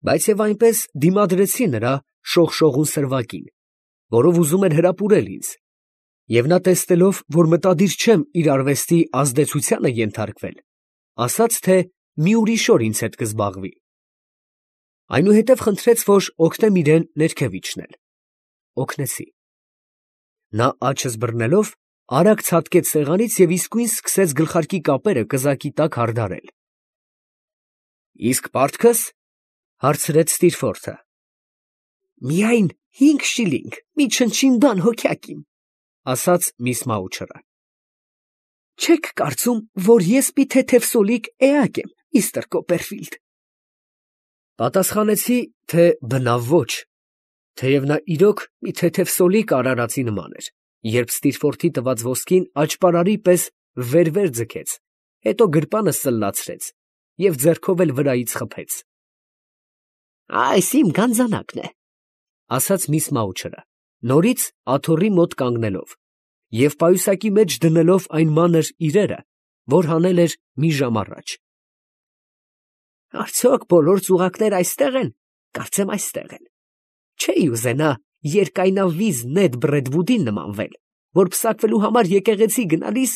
բայց և այնպես դիմադրեցի նրա շողշողուն սրվակին, որով ուզում էր հրապուրել ինձ, և նա տեսնելով, որ մտադիր չեմ իր արվեստի ազդեցությանը ենթարկվել, ասաց, թե մի ուրիշ օր ինձ հետ կզբաղվի. այնուհետև խնդրեց, որ օգնեմ իրան ներքև իջնել. օգնեցի. նա աչս բռնելով, արագ ցատկեց սեղանից և իսկույն սկսեց գլխարկի կապերը կզակի տակ հարդարել։ ֊ Իսկ պարտքս, ֊ հարցրեց Ստիրֆորթը։ ֊ Միայն 5 շիլինգ, մի չնչին բան հոգյակ իմ, ֊ ասաց միս Մաուչերը։ ֊ Չե՞ք կարծում, որ ես մի թեթև սոլիկ էակ եմ, միստր Կոպերֆիլդ։ Պատասխանեցի, թե բնավ ոչ, թեև նա իրոք մի թեթև սոլիկ արարածի նման էր, երբ Ստիրֆորթի տված ոսկին աճպարարի պես վեր ձգեց, հետո գրպանը սլլացրեց և ձեռքով էլ վրայից խփեց։ ֊ Այս իմ գանձանակն է, ֊ ասաց միս Մաուչերը, նորից աթոռի մոտ կանգնելով և պայուսակի մեջ դնելով այն մանր իրերը, որ հանել էր մի ժամ առաջ։ ֊ Արդյոք բոլոր ծուղակները այստե՞ղ են, կարծեմ այստեղ են. չէի ուզենա երկայնավիզ Նեդ Բրեդվուդին նմանվել, որ պսակվելու համար եկեղեցի գնալիս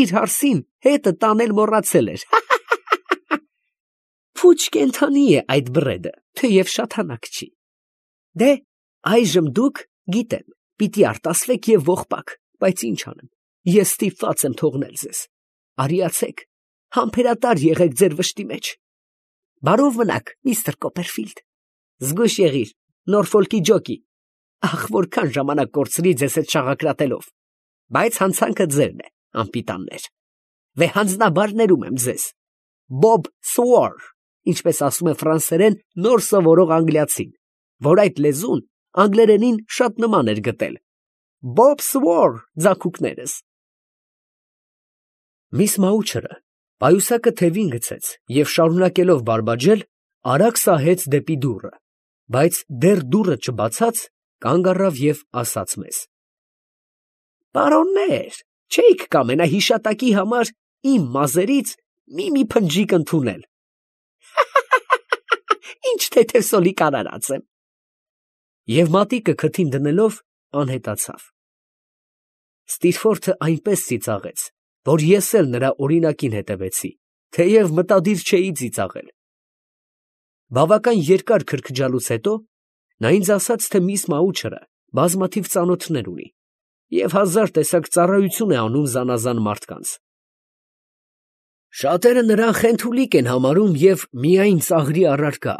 իր հարսին հետը տանել մոռացել էր։ Փուչ կենդանի է այդ Բրեդը, թեև շատ հանակ չի։ Դե, այժմ դուք, գիտեմ, պիտի արտասվեք և ողբակ, բայց ինչ անեմ, ես ստիպված եմ թողնել ձեզ։ Արիացեք, համբերատար եղեք ձեր վշտի մեջ։ Բարով մնաք, միստր Կոպերֆիլդ։ Զգույշ եղիր, Նորֆոլկի ջոկի, ախ, որքան ժամանակ կորցրի ձեզ հետ շաղակրատելով, բայց հանցանքը ձերն է, անպիտաններ։ Վեհանձնաբար ներում եմ ձեզ, Բոբ Սուոր, ինչպես ասում է ֆրանսերեն նոր սովորող անգլիացին, որ այդ լեզուն անգլերենին շատ նման էր գտել։ Բոբ Սուոր, ձագուկներս։ Միս Մաուչերը պայուսակը թևին գցեց և շարունակելով բարբաջել, արագ սահեց դեպի դուռը, բայց դեռ դուռը չբացած, կանգ առավ և ասաց մեզ. Պարոննե՛ր, չէիք կամենա հիշատակի համար իմ մազերից մի փնջիկ ընդունել։ Ինչ թեթև սոլիկ արարած եմ։ Եվ մատիկը քթին դնելով անհետացավ։ Ստիրֆորթը այնպես ծիծաղեց, որ ես էլ նրա օրինակին հետևեցի, թեև մտադիր չէի ծիծաղել։ Բավական երկար քրքջալուց հետո նա ինձ ասաց, թե միս Մաուչերը բազմաթիվ ծանոթներ ունի և 1000 տեսակ ծառայություն է անում զանազան մարդկանց։ Շատերը նրան խենթուլիկ են համարում և միայն ծաղրի առարկա,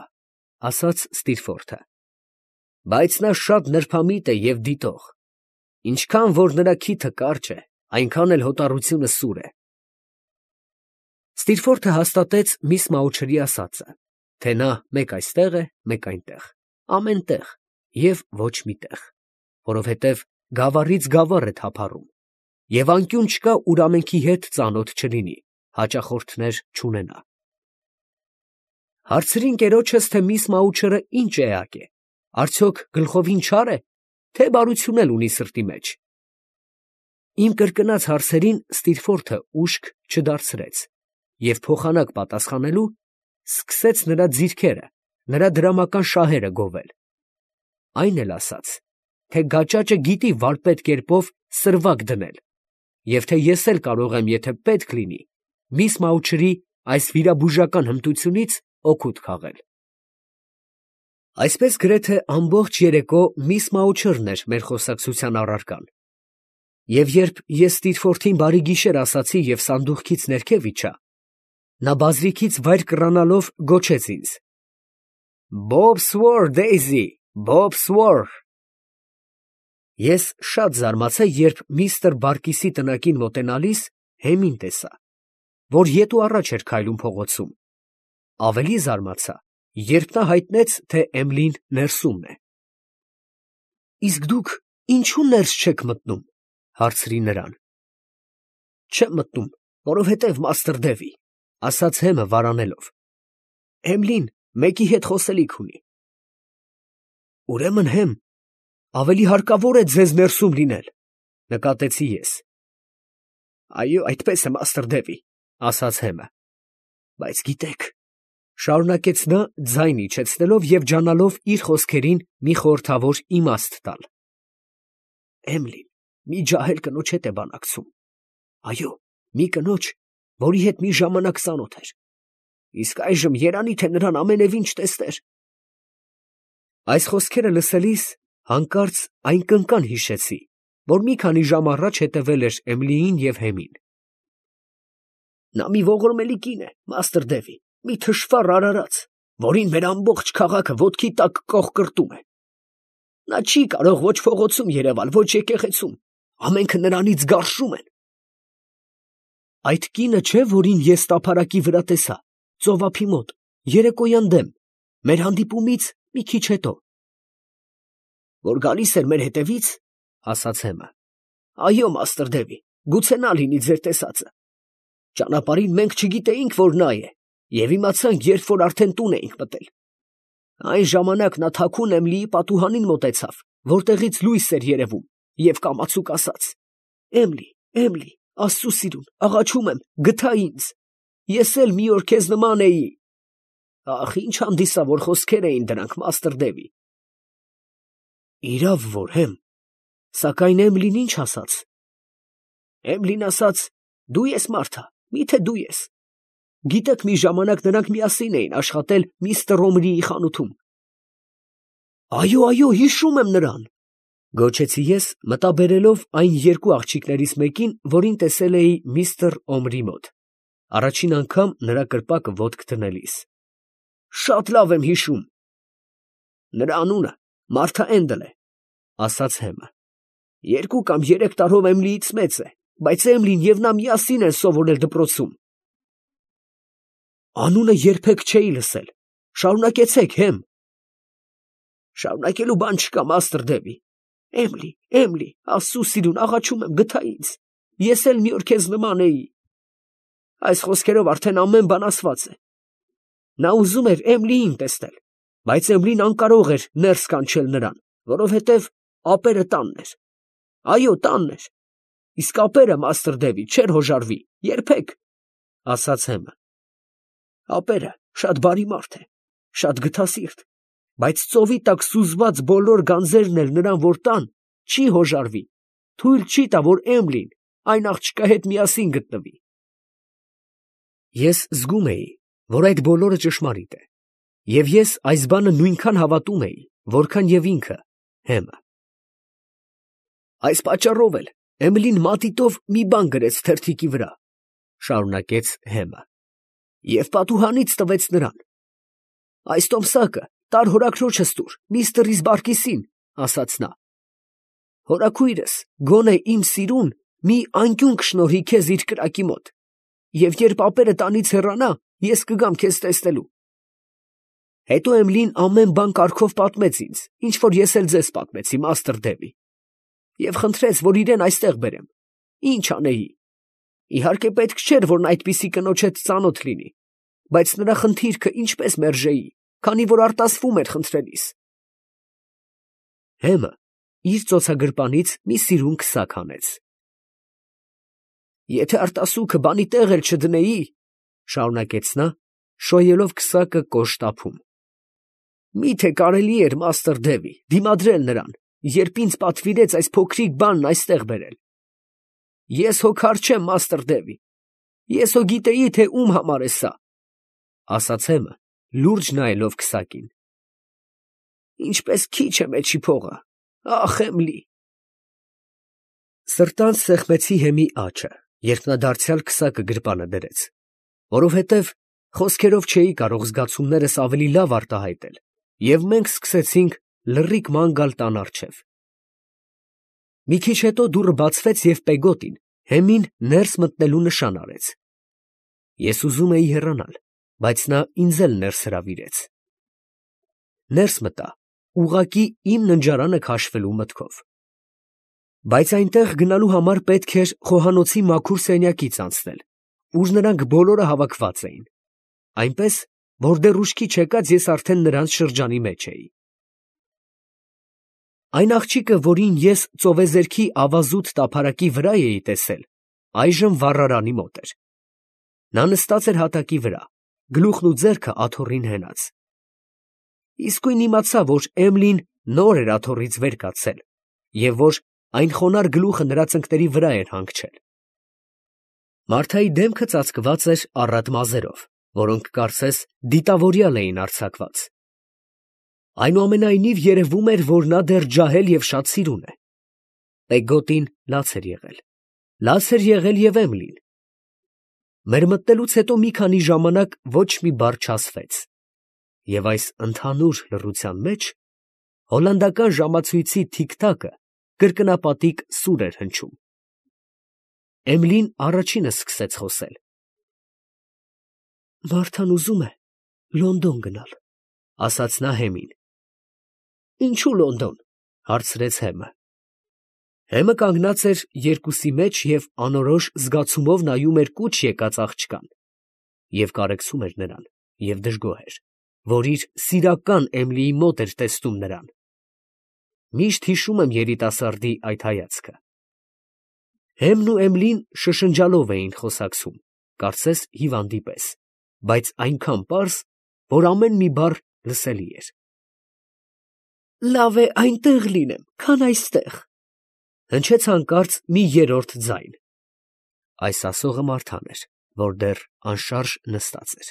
ասաց Ստիրֆորթը, բայց նա շատ նրբամիտ է և դիտող, ինչքան որ նրա քիթը կարճ է, այնքան էլ հոտառությունը սուր է։ Ստիրֆորթը հաստատեց միս Մաուչերի ասածը, թե նա մեկ այստեղ է, մեկ այնտեղ, ամեն տեղ և ոչ մի տեղ, որովհետև գավառից գավառ է թափառում, և անկյուն չկա, ուր ամենքի հետ ծանոթ չլինի, հաճախորդներ չունենա։ Հարցրի ընկերոջս, թե միս Մաուչերը ինչ էակ է, արդյոք գլխովին չար է, թե բարություն էլ ունի սրտի մեջ։ Իմ կրկնած հարցերին Ստիրֆորթը ուշք չդարձրեց և փոխանակ պատասխանելու սկսեց նրա ձիրքերը, նրա դրամական շահերը գովել։ Այն էլ ասաց, թե գաճաճը գիտի վարպետ կերպով սրվակ դնել, և թե ես էլ կարող եմ, եթե պետք լինի, միս Մաուչերի այս վիրաբուժական հմտությունից օգուտ քաղել։ Այսպես գրեթե ամբողջ երեկո միս Մաուչերն էր մեր խոսակցության առարկան, և երբ ես Ստիրֆորթին բարի գիշեր ասացի և սանդուղքից ներքև իջա, նա բազրիքից վայր կռանալով գոչեց ինձ. Բոբ Սուոր, Դեյզի, Բոբ Սուոր։ Ես շատ զարմացա, երբ միստր Բարկիսի տնակին մոտենալիս հեմին տեսա, որ ետ ու առաջ էր քայլում փողոցում, ավելի զարմացա, երբ նա հայտնեց, թե Էմլին ներսումն է։ Իսկ դուք ինչո՞ւ ներս չեք մտնում, հարցրի նրան։ Չեմ մտնում, որովհետև մաստր Դևի, ասաց հեմը վարանելով, Էմլին մեկի հետ խոսելիք ունի։ Ուրեմն հեմ, ավելի հարկավոր է ձեզ ներսում լինել, նկատեցի ես։ Այո, այդպես է, մաստր Դևի, ասաց հեմը, բայց գիտեք, Շարունակեց նա ձայն իջեցնելով և ջանալով իր խոսքերին մի խորհրդավոր իմաստ տալ։ Էմիլին մի ջահել կնոջ հետ է բանակցում։ Այո, մի կնոջ, որի հետ մի ժամանակ ծանոթ էր։ Իսկ այժմ երանի թե նրան ամենևին չտեսներ։ Այս խոսքերը լսելիս հանկարծ այն կնկան հիշեցի, որ մի քանի ժամ առաջ հետևել էր Էմիլիին և Հեմին։ Նա մի ողորմելի կին է, մաստր Դևի, մի թշվառ արարած, որին մեր ամբողջ քաղաքը ոտքի տակ կողկրտում է։ Նա չի կարող ոչ փողոցում երևալ, ոչ եկեղեցում, ամենքը նրանից գարշում են։ Այդ կինը չէ, որին ես տափարակի վրա տեսա, ծովափի մոտ, երեկոյան դեմ, մեր հանդիպումից մի քիչ հետո։ Որ գալիս էր մեր հետևից, ասաց Հեմը։ Այո, մաստր Դևի, գուցե նա լինի ձեր տեսածը։ Ճանապարհին մենք չգիտեինք, որ նա է, և իմացանք, երբ որ արդեն տուն էինք մտել։ Այն ժամանակ նա թաքուն Էմիլիի պատուհանին մոտեցավ, որտեղից լույս էր երևում, և կամացուկ ասաց. Էմիլի, Էմիլի, Աստծու սիրուն, աղաչում եմ, գթա ինձ։ Ես էլ մի օր քեզ նման էի։ Ախ, ինչ հանդիսավոր խոսքեր էին դրանք, մաստր Դևի։ Իրավ որ Հեմ, սակայն Էմիլին ինչ ասաց։ Էմիլին ասաց. դու ես Մարթա, միթե դու ես։ Գիտեք, մի ժամանակ նրանք միասին էին աշխատել միստր Օմրիի խանութում։ Այո, այո, հիշում եմ նրան, գոչեցի ես, մտաբերելով այն երկու աղջիկներից մեկին, որին տեսել էի միստր Օմրի մոտ, առաջին անգամ նրա կրպակը ոտք դնելիս։ Շատ լավ եմ հիշում։ Նրա անունը Մարթա Էնդել է, ասաց Հեմը։ 2 կամ 3 տարով Էմիլիից մեծ է, բայց Էմիլին և նա միասին են սովորել դպրոցում։ Անունը երբեք չէի լսել։ Շարունակեցեք, Հեմ։ Շարունակելու բան չկա, մաստր Դևի։ Էմիլի, Էմիլի, Աստծու սիրուն, աղաչում եմ, գթա ինձ։ Ես էլ մի օր քեզ նման էի։ Այս խոսքերով արդեն ամեն բան ասված է։ Նա ուզում էր Էմիլիին տեսնել, բայց Էմիլին անկարող էր ներս կանչել նրան, որովհետև ապերը տանն էր։ Այո, տանն էր։ Իսկ ապերը, մաստր Դևի, չէր հոժարվի, երբեք, ասաց Հեմը։ Ապերը շատ բարի մարդ է, շատ գթասիրտ, բայց ծովի տակ սուզված բոլոր գանձերն էլ նրան որ տան, չի հոժարվի, թույլ չի տա, որ Էմիլին այն աղջկա հետ միասին գտնվի։ Ես զգում էի, որ այդ բոլորը ճշմարիտ է, և ես այս բանը նույնքան հավատում էի, որքան և ինքը, Հեմը։ Այս պատճառով էլ Էմիլին մատիտով մի բան գրեց թերթիկի վրա, շարունակեց Հեմը, և պատուհանից տվեց նրան։ Այս տոմսակը տար հորաքրոջս տուր, միստր Բարկիսին, ասաց նա։ Հորաքույրս գոնե իմ սիրուն մի անկյուն կշնորհի քեզ իր կրակի մոտ, և երբ ապերը տանից հեռանա, ես կգամ քեզ տեսնելու։ Հետո Էմիլին ամեն բան կարգով պատմեց ինձ, ինչ որ ես էլ ձեզ պատմեցի, մաստր Դևի, և խնդրեց, որ իրեն այստեղ բերեմ։ Ինչ անեի։ Իհարկե պետք չէր, որ նա այդպիսի կնոջ հետ ծանոթ լինի, բայց նրա խնդիրքը ինչպես մերժեի, քանի որ արտասվում էր խնդրելիս։ Հեմը իր ծոցագրպանից մի սիրուն քսակ հանեց։ Եթե արտասուքը բանի տեղ էլ չդնեի, շարունակեց նա, շոյելով քսակը կոշտ ափում։ Միթե կարելի էր, մաստր Դևի, դիմադրել նրան, երբ ինձ պատվիրեց այս փոքրիկ բանն այստեղ բերել։ Ես հո քար չեմ, մաստր Դևի, ես հո գիտեի, թե ում համար է սա, ասաց Հեմը, լուրջ նայելով քսակին։ Ինչպես քիչ է մեջի փողը, ախ Էմիլի։ Սրտանց սեղմեցի Հեմի աջը, երբ նա դարձյալ քսակը գրպանը դրեց, որովհետև խոսքերով չէի կարող զգացումներս ավելի լավ արտահայտել, և մենք սկսեցինք լռիկ ման գալ տան առջև։ Մի քիչ հետո դուռը բացվեց և Պեգոտին Հեմին ներս մտնելու նշան արեց։ Ես ուզում էի հեռանալ, բայց նա ինձ էլ ներս հրավիրեց։ Ներս մտա, ուղղակի իմ ննջարանը քաշվելու մտքով։ Բայց այնտեղ գնալու համար պետք էր խոհանոցի մաքուր սենյակից անցնել, ուր նրանք բոլորը հավաքված էին, այնպես, որ դեռ ուշքի չեկած ես արդեն նրանց շրջանի մեջ էի։ Այն աղջիկը, որին ես ծովեզերքի ավազուտ տափարակի վրա էի տեսել, այժմ վառարանի մոտ էր։ Նա նստած էր հատակի վրա, գլուխն ու ձեռքը աթոռին հենած։ Իսկույն իմացա, որ Էմիլին նոր էր աթոռից վեր կացել և որ այն խոնարհ գլուխը նրա ծնկների վրա էր հանգչել։ Մարթայի դեմքը ծածկված էր առատ մազերով, որոնք կարծես դիտավորյալ էին արձակված։ Այնուամենայնիվ երևում էր, որ նա դեռ ջահել և շատ սիրուն է։ Պեգոտին լաց էր եղել։ Լաց էր եղել և Էմիլին։ Մեր մտնելուց հետո մի քանի ժամանակ ոչ մի բառ չասվեց, և այս ընդհանուր լռության մեջ հոլանդական ժամացույցի թիկ֊թակը կրկնապատիկ սուր էր հնչում։ Էմիլին առաջինը սկսեց խոսել. «Մարթան ուզում է Լոնդոն գնալ», ֊ ասաց նա Հեմին։ «Ինչո՞ւ Լոնդոն», ֊ հարցրեց Հեմը։ Հեմը կանգնած էր երկուսի մեջ և անորոշ զգացումով նայում էր կուչ եկած աղջկան, և կարեկցում էր նրան, և դժգոհ էր, որ իր սիրական Էմիլիի մոտ էր տեսնում նրան։ Միշտ հիշում եմ երիտասարդի այդ հայացքը։ Հեմն ու Էմիլին շշնջալով էին խոսակցում, կարծես հիվանդի պես, բայց այնքան պարզ, որ ամեն մի բառ լսելի էր։ «Լավ է այնտեղ լինեմ, քան այստեղ», ֊ հնչեց հանկարծ մի երրորդ ձայն։ Այս ասողը Մարթան էր, որ դեռ անշարժ նստած էր։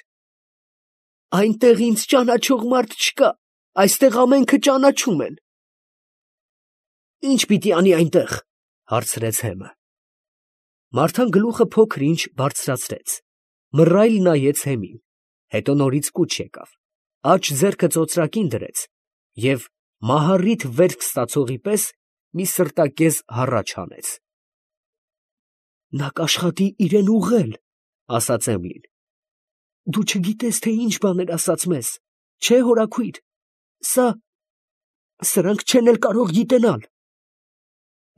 «Այնտեղ ինձ ճանաչող մարդ չկա, այստեղ ամենքը ճանաչում են»։ «Ի՞նչ պիտի անի այնտեղ», ֊ հարցրեց Հեմը։ Մարթան գլուխը փոքր֊ինչ բարձրացրեց, մռայլ նայեց Հեմին, հետո նորից կուչ եկավ, աջ ձեռքը ծոծրակին դրեց և մահառիթ վերք ստացողի պես մի սրտակեզ հառաչ հանեց։ «Նա կաշխատի իրան ուղղել», ֊ ասաց Էմիլին։ «Դու չգիտես, թե ինչ բաներ ասաց մեզ, չէ՞ հորաքույր, սրանք չեն էլ կարող գիտենալ»։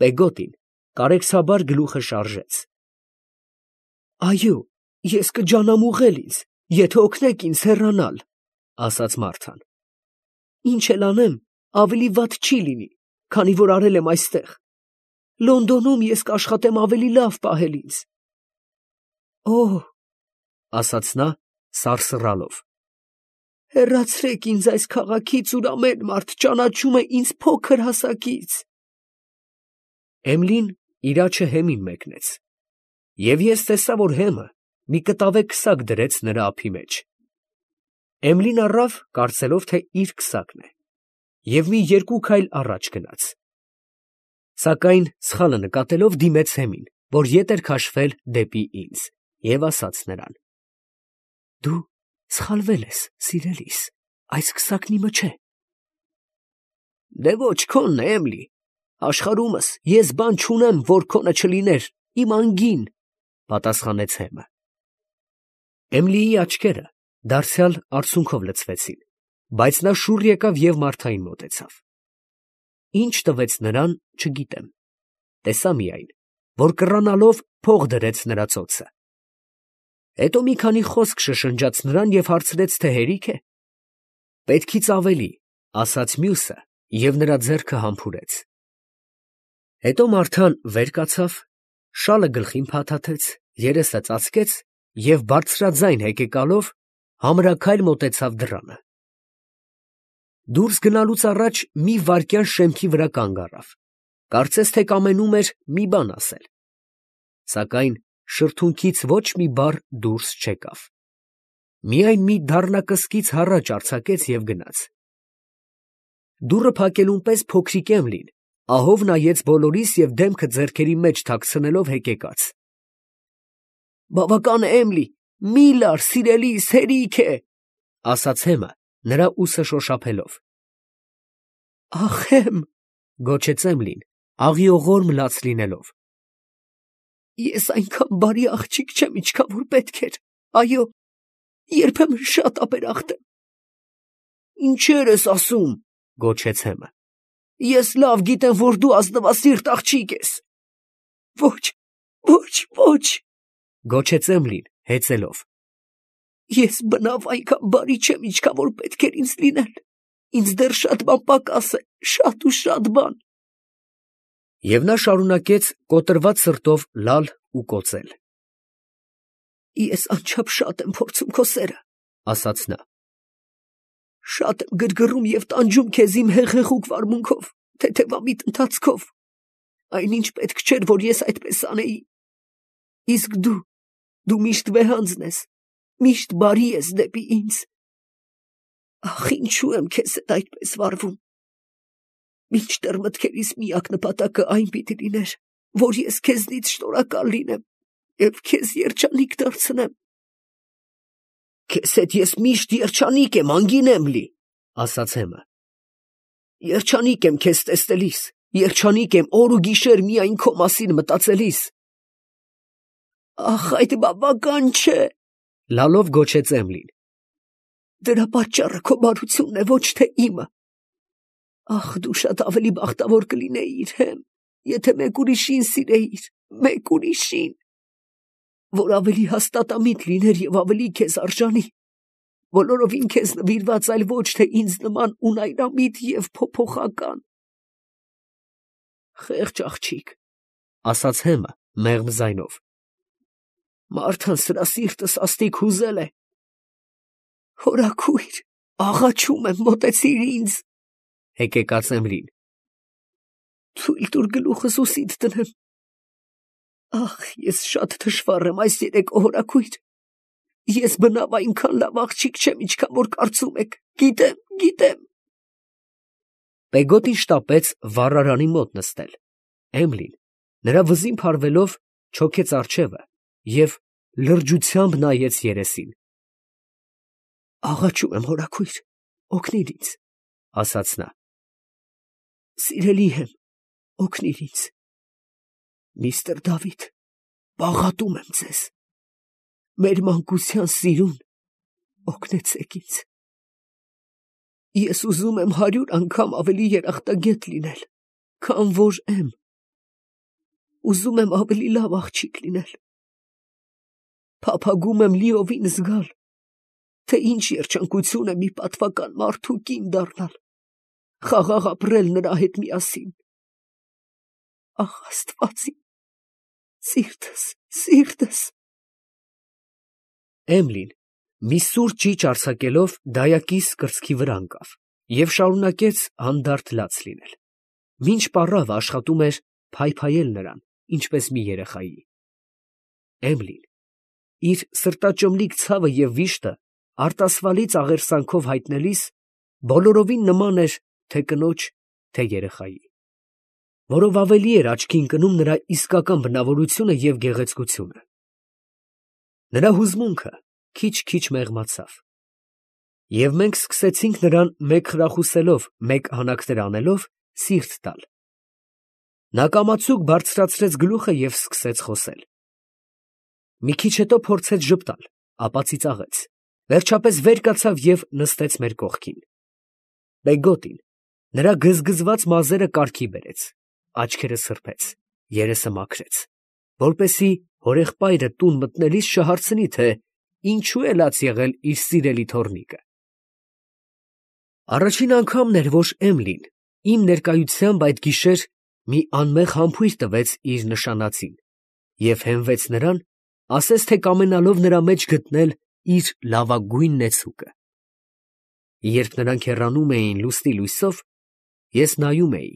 Պեգոտին կարեկցաբար գլուխը շարժեց։ «Այո, ես կջանամ ուղղել ինձ, եթե օգնեք ինձ հեռանալ», ֊ ասաց Մարթան։ «Ինչ էլ անեմ, ավելի վատ չի լինի, քանի որ արել եմ այստեղ։ Լոնդոնում ես կաշխատեմ ավելի լավ պահել ինձ»։ «Օհ», ֊ ասաց նա սարսռալով, «հեռացրեք ինձ այս քաղաքից, ուր ամեն մարդ ճանաչում է ինձ փոքր հասակից»։ Էմիլին իր աջը Հեմին մեկնեց, և ես տեսա, որ Հեմը մի կտավե քսակ դրեց նրա ափի մեջ։ Էմիլին առավ, կարծելով, թե իր քսակն է, և մի երկու քայլ առաջ գնաց, սակայն սխալը նկատելով դիմեց Հեմին, որ ետ էր քաշվել դեպի ինձ, և ասաց նրան. «Դու սխալվել ես, սիրելիս, այս քսակն իմը չէ»։ «Դե ոչ, քոնն է, Էմիլի, աշխարհումս ես բան չունեմ, որ քոնը չլիներ, իմ անգին», ֊ պատասխանեց Հեմը։ Էմիլիի աչքերը դարձյալ արցունքով լցվեցին, բայց նա շուռ եկավ և Մարթային մոտեցավ։ Ինչ տվեց նրան, չգիտեմ, տեսա միայն, որ կռանալով փող դրեց նրա ծոցը։ Հետո մի քանի խոսք շշնջաց նրան և հարցրեց, թե հերիք է։ «Պետքից ավելի», ֊ ասաց մյուսը և նրա ձեռքը համբուրեց։ Հետո Մարթան վեր կացավ, շալը գլխին փաթաթեց, երեսը ծածկեց և բարձրաձայն հեկեկալով համրաքայլ մոտեցավ դռանը։ Դուրս գնալուց առաջ մի վայրկյան շեմքի վրա կանգ առավ, կարծես թե կամենում էր մի բան ասել, սակայն շրթունքից ոչ մի բառ դուրս չեկավ, միայն մի դառնակսկից հառաչ արձակեց և գնաց։ Դուռը փակելուն պես փոքրիկ Էմիլին ահով նայեց բոլորիս և դեմքը ձեռքերի մեջ թաքցնելով հեկեկաց։ «Բավական է, Էմիլի, մի լար, սիրելիս, հերիք է», ֊ ասաց Հեմը նրա ուսը շոշափելով։ «Ախ, Հեմ», ֊ գոչեց Էմիլին, աղիողորմ լաց լինելով, «ես այնքան բարի աղջիկ չեմ, ինչքան որ պետք էր, այո, երբեմն շատ ապերախտ եմ»։ «Ինչեր ես ասում», ֊ գոչեց Հեմը, «ես լավ գիտեմ, որ դու ազնվասիրտ աղջիկ ես»։ «Ոչ, ոչ, ոչ», ֊ գոչեց Էմիլին հեծելով, «ես բնավ այնքան բարի չեմ, ինչքան որ պետք էր ինձ լինել, ինձ դեռ շատ բան պակաս է, շատ ու շատ բան»։ Եվ նա շարունակեց կոտրված սրտով լալ ու կոծել. «Ես անչափ շատ եմ փորձում քո սերը, ասաց նա։ Շատ եմ գրգռում և տանջում քեզ իմ հեղեղուկ վարմունքով, թեթևամիտ ընթացքով, այնինչ պետք չէր, որ ես այդպես անեի։ Իսկ դու միշտ վեհանձն ես, միշտ բարի ես դեպի ինձ։ Ախ, ինչու եմ քեզ հետ այդպես վարվում։ Մինչդեռ մտքերիս միակ նպատակը այն պիտի լիներ, որ ես քեզնից շնորհակալ լինեմ և քեզ երջանիկ դարձնեմ։ Քեզ հետ ես միշտ երջանիկ եմ, անգինեմ լի, ասաց Հեմը։ Երջանիկ եմ քեզ տեսնելիս, երջանիկ եմ օր ու գիշեր միայն քո մասին մտածելիս։ Ախ, այդ բավական չէ, լալով գոչեց Էմլին։ Դրա պատճառը քո բարությունն է, ոչ թե իմը։ Ախ, դու շատ ավելի բախտավոր կլինեիր, Հեմ, եթե մեկ ուրիշին սիրեիր, մեկ ուրիշին, որ ավելի հաստատամիտ լիներ և ավելի քեզ արժանի, բոլորովին քեզ նվիրված, այլ ոչ թե ինձ նման ունայրամիտ և փոփոխական։ Խեղճ աղջիկ, ասաց Հեմը մեղմ ձայնով, մարդն սրա սիրտը սաստիկ հուզել է։ Հորաքույր, աղաչում եմ, մոտեցիր ինձ, հեկեկաց Էմլին։ Թույլ տուր գլուխս ուսիդ դնեմ։ Ախ, ես շատ թշվառ եմ այս երեկո, հորաքույր։ Ես բնավ այնքան լավ աղջիկ չեմ, ինչքան որ կարծում եք, գիտեմ։ Պեգոտին շտապեց վառարանի մոտ նստել։ Էմլին, նրա վզին փարվելով, չոքեց առջևը և լրջությամբ նայեց երեսին։ Աղաչում եմ, հորաքույր, օգնիր ինձ, ասաց նա։ Սիրելի Հեմ, օգնիր ինձ։ Միստր Դավիթ, բաղատում եմ ձեզ։ Մեր մանկության սիրուն, օգնեցեք ինձ։ Ես ուզում եմ 100 անգամ ավելի երախտագետ լինել, քան որ եմ։ Ուզում եմ ավելի լավ աղջիկ լինել։ Փափագում եմ լիովին զգալ, թե ինչ երջանկություն է մի պատվական մարդու կին դառնալ, խաղաղ ապրել նրա հետ միասին։ Ախ, Աստված իմ, սիրտս։ Էմլին, մի սուր ճիչ արձակելով, դայակիս կրծքի վրա ընկավ և շարունակեց հանդարտ լաց լինել, մինչ պառավը աշխատում էր փայփայել նրան, ինչպես մի երեխայի։ Էմլին, իր սրտաճմլիկ ցավը և վիշտը արտասվալից աղերսանքով հայտնելիս, բոլորովին նման էր թե կնոջ, թե երեխայի, որով ավելի էր աչքի ընկնում նրա իսկական բնավորությունը և գեղեցկությունը։ Նրա հուզմունքը քիչ-քիչ մեղմացավ, և մենք սկսեցինք նրան մեկ խրախուսելով, մեկ հանակներ անելով, սիրտ տալ։ Նա կամացուկ բարձրացրեց գլուխը և սկսեց խոսել։ Մի քիչ հետո փորձեց ժպտալ, ապա ծիծաղեց, վերջապես վեր կացավ և նստեց մեր կողքին։ Պեգոտին նրա գզգզված մազերը կարգի բերեց, աչքերը սրբեց, երեսը մաքրեց, որպեսզի հորեղբայրը տուն մտնելիս չհարցնի, թե ինչու է լաց եղել իր սիրելի թոռնիկը։ Առաջին անգամն էր, որ Էմլին իմ ներկայությամբ այդ գիշեր մի անմեղ համբույր տվեց իր նշանածին և հենվեց նրան, ասես թե կամենալով նրա մեջ գտնել իր լավագույն նեցուկը։ Երբ նրանք հեռանում էին լուսնի լույսով, ես նայում էի,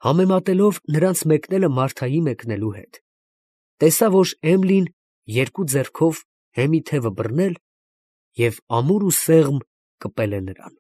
համեմատելով նրանց մեկնելը Մարթայի մեկնելու հետ, տեսա, որ Էմլին երկու ձեռքով Հեմի թևը բռնել և ամուր ու սեղմ կպել է նրան։